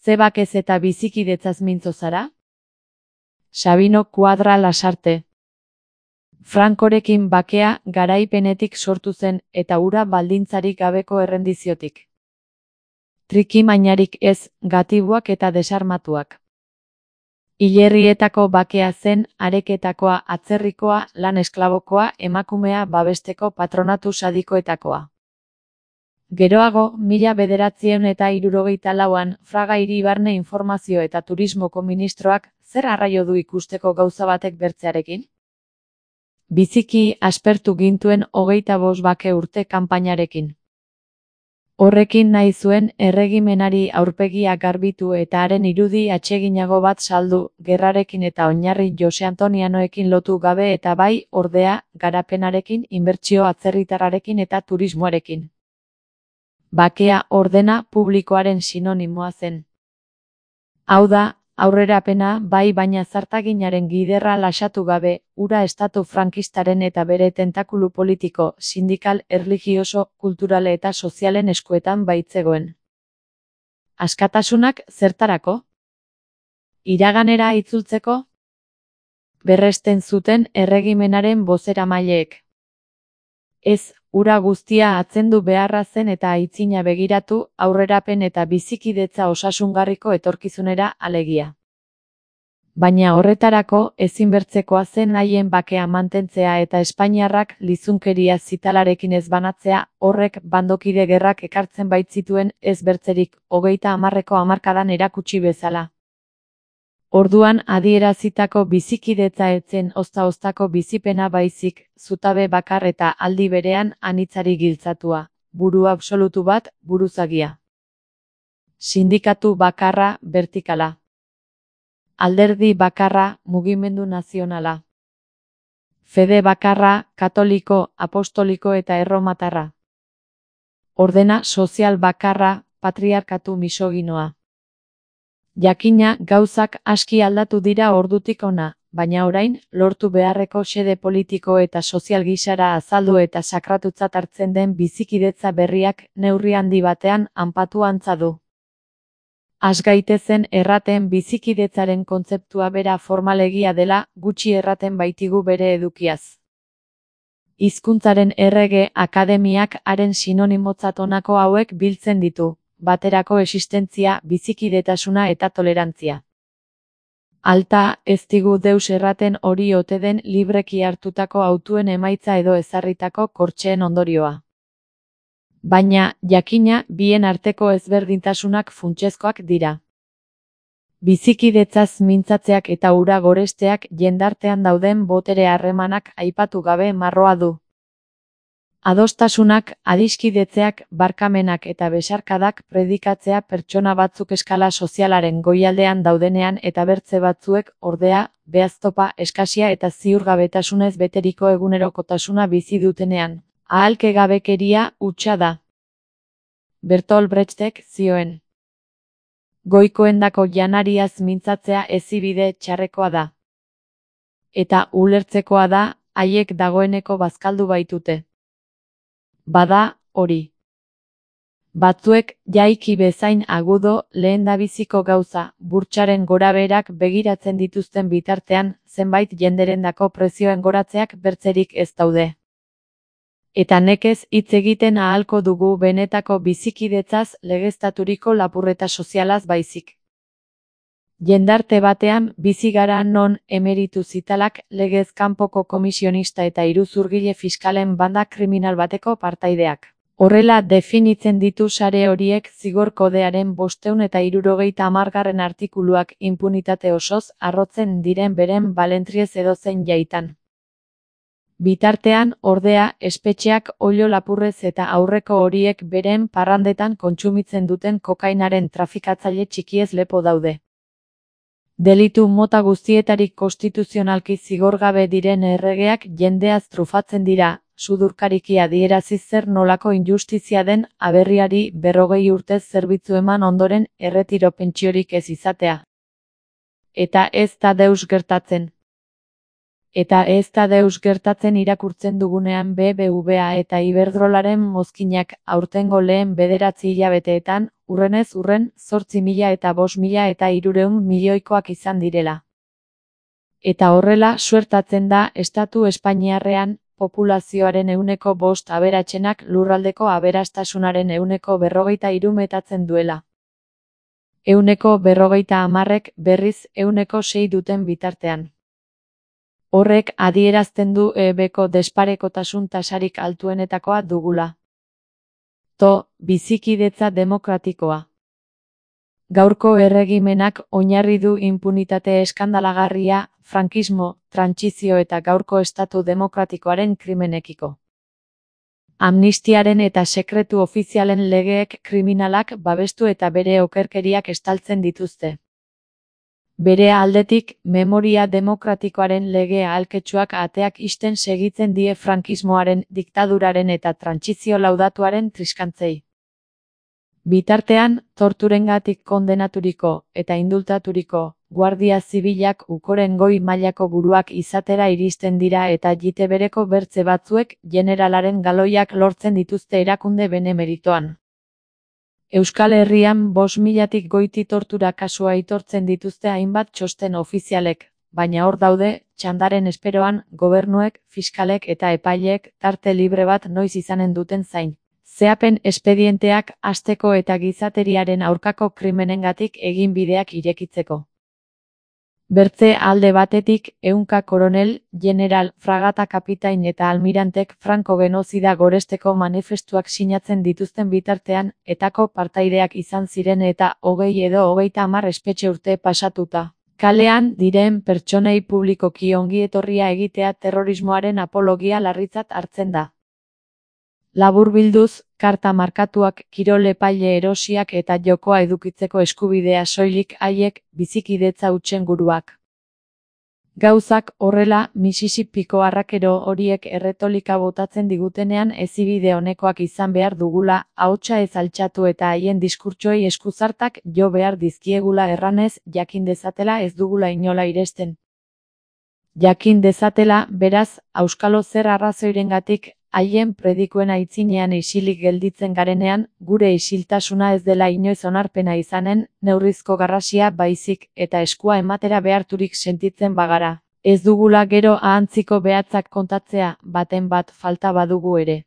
Ze bakez eta bizikidetzaz mintzo zara? Sabino Kuadra Lasarte. Frankorekin bakea garaipenetik sortu zen eta hura baldintzarik gabeko errendiziotik. Trikimainarik ez, gatibuak eta desarmatuak. Hilerrietako bakea zen, areketakoa, atzerrikoa, lan esklabokoa, emakumea babesteko patronatu sadikoetakoa. Geroago, 1964an, Fraga Hiri-Barne Informazio eta Turismoko ministroak zer arraio du ikusteko gauza batek bertzearekin? Biziki aspertu gintuen 25 bake urte kanpainarekin. Horrekin nahi zuen erregimenari aurpegia garbitu eta haren irudi atseginago bat saldu, gerrarekin eta oinarri Jose Antonianoekin lotu gabe eta bai, ordea, garapenarekin, inbertsio atzerritarrarekin eta turismoarekin. Bakea ordena publikoaren sinonimoa zen. Hau da, aurrerapena bai baina zartaginaren giderra lasatu gabe, hura estatu frankistaren eta bere tentakulu politiko, sindikal, erlijioso, kulturale eta sozialen eskuetan baitzegoen. Askatasunak zertarako? Iraganera itzultzeko? Berresten zuten erregimenaren bozeramaileek. Ez, hura guztia atzendu beharra zen eta aitzina begiratu, aurrerapen eta bizikidetza osasungarriko etorkizunera alegia. Baina horretarako ezinbertzekoa zen haien bakea mantentzea eta espainiarrak lizunkeria zitalarekin ez banatzea, horrek bandokide gerrak ekartzen baitzituen ez bertzerik 30ko hamarkadan erakutsi bezala. Orduan adierazitako bizikidetza etzen ozta-oztako bizipena baizik, zutabe bakar eta aldi berean anitzari giltzatua, buru absolutu bat, buruzagia. Sindikatu bakarra, vertikala. Alderdi bakarra, mugimendu nazionala. Fede bakarra, katoliko, apostoliko eta erromatarra. Ordena sozial bakarra, patriarkatu misoginoa. Jakina, gauzak aski aldatu dira ordutik ona, baina orain, lortu beharreko xede politiko eta sozial gisara azaldu eta sakratutzat hartzen den bizikidetza berriak neurri handi batean hanpatu antza du. Has gaitezen erraten bizikidetzaren kontzeptua bera formalegia dela, gutxi erraten baitigu bere edukiaz. Hizkuntzaren errege akademiak haren sinonimotzat honako hauek biltzen ditu. Baterako existentzia, bizikidetasuna eta tolerantzia. Alta, ez digu deus erraten hori ote den libreki hartutako hautuen emaitza edo ezarritako kortxeen ondorioa. Baina, jakina, bien arteko ezberdintasunak funtsezkoak dira. Bizikidetzaz mintzatzeak eta hura goresteak jendartean dauden botere harremanak aipatu gabe marroa du. Adostasunak, adiskidetzeak, barkamenak eta besarkadak predikatzea pertsona batzuk eskala sozialaren goialdean daudenean eta bertze batzuek, ordea, behaztopa, eskasia eta ziurgabetasunez beteriko egunerokotasuna bizi dutenean. Ahalkegabekeria hutsa da. Bertolt Brechtek zioen. Goikoendako janariaz mintzatzea ezibide txarrekoa da. Eta ulertzekoa da, haiek dagoeneko bazkaldu baitute. Bada, hori. Batzuek, jaiki bezain agudo, lehendabiziko gauza, burtsaren gorabeherak begiratzen dituzten bitartean, zenbait jenderendako prezioen goratzeak bertzerik ez daude. Eta nekez hitz egiten ahalko dugu benetako bizikidetzaz legeztaturiko lapurreta sozialaz baizik. Jendarte batean bizi gara non emeritu zitalak legez kanpoko komisionista eta iruzurgile fiskalen banda kriminal bateko partaideak. Horrela definitzen ditu sare horiek zigor kodearen 570 artikuluak inpunitate osoz arrotzen diren beren balentriez edozein jaitan. Bitartean, ordea, espetxeak oilo lapurrez eta aurreko horiek beren parrandetan kontsumitzen duten kokainaren trafikatzaile txikiez lepo daude. Delitu mota guztietarik konstituzionalki zigorgabe diren erregeak jendeaz trufatzen dira, sudurkariki adierazi zer nolako injustizia den aberriari 40 urtez zerbitzu eman ondoren erretiro pentsiorik ez izatea. Eta ez da deus gertatzen. Eta ez da deus gertatzen irakurtzen dugunean BBVA eta Iberdrolaren mozkinak aurtengo lehen 9 hilabeteetan, urrenez urren, 8.000 eta 5.300 milioikoak izan direla. Eta horrela suertatzen da estatu espainiarrean, populazioaren 5% aberatsenak lurraldeko aberastasunaren 43% metatzen duela. 50%ek berriz 6% duten bitartean. Horrek adierazten du EBko desparekotasun tasarik altuenetakoa dugula. Bizikidetza demokratikoa. Gaurko erregimenak oinarri du inpunitate eskandalagarria, frankismo, trantsizio eta gaurko estatu demokratikoaren krimenekiko. Amnistiaren eta sekretu ofizialen legeek kriminalak babestu eta bere okerkeriak estaltzen dituzte. Bere aldetik, memoria demokratikoaren lege ahalketsuak ateak ixten segitzen die frankismoaren, diktaduraren eta trantsizio laudatuaren triskantzei. Bitartean, torturengatik kondenaturiko eta indultaturiko guardia zibilak ukoren goi mailako buruak izatera iristen dira eta jite bereko bertze batzuek generalaren galoiak lortzen dituzte erakunde benemeritoan. Euskal Herrian 5.000tik goiti tortura kasua aitortzen dituzte hainbat txosten ofizialek, baina hor daude, txandaren esperoan, gobernuek, fiskalek eta epaileek tarte libre bat noiz izanen duten zain. Zehapen espedienteak hasteko eta gizateriaren aurkako krimenengatik egin bideak irekitzeko. Bertze alde batetik, 100 koronel, general, fragata kapitain eta almirantek Franco genozida goresteko manifestuak sinatzen dituzten bitartean, etako partaideak izan ziren eta 20 edo 30 espetxe urte pasatuta. Kalean diren pertsonei publikoki ongietorria egitea terrorismoaren apologia larritzat hartzen da. Laburbilduz, karta markatuak, kirol epaile erosiak eta jokoa edukitzeko eskubidea soilik haiek bizikidetza hutsen guruak. Gauzak horrela, Mississippiko arrakero horiek erretolika botatzen digutenean ezibide honekoak izan behar dugula, ahotsa ez altxatu eta haien diskurtsoei eskuzartak jo behar dizkiegula erranez, jakin dezatela ez dugula inola iresten. Jakin dezatela, beraz, auskalo zer arrazoirengatik, haien predikuen aitzinean isilik gelditzen garenean, gure isiltasuna ez dela inoiz onarpena izanen, neurrizko garrasia baizik eta eskua ematera beharturik sentitzen bagara. Ez dugula gero ahantziko behatzak kontatzea, baten bat falta badugu ere.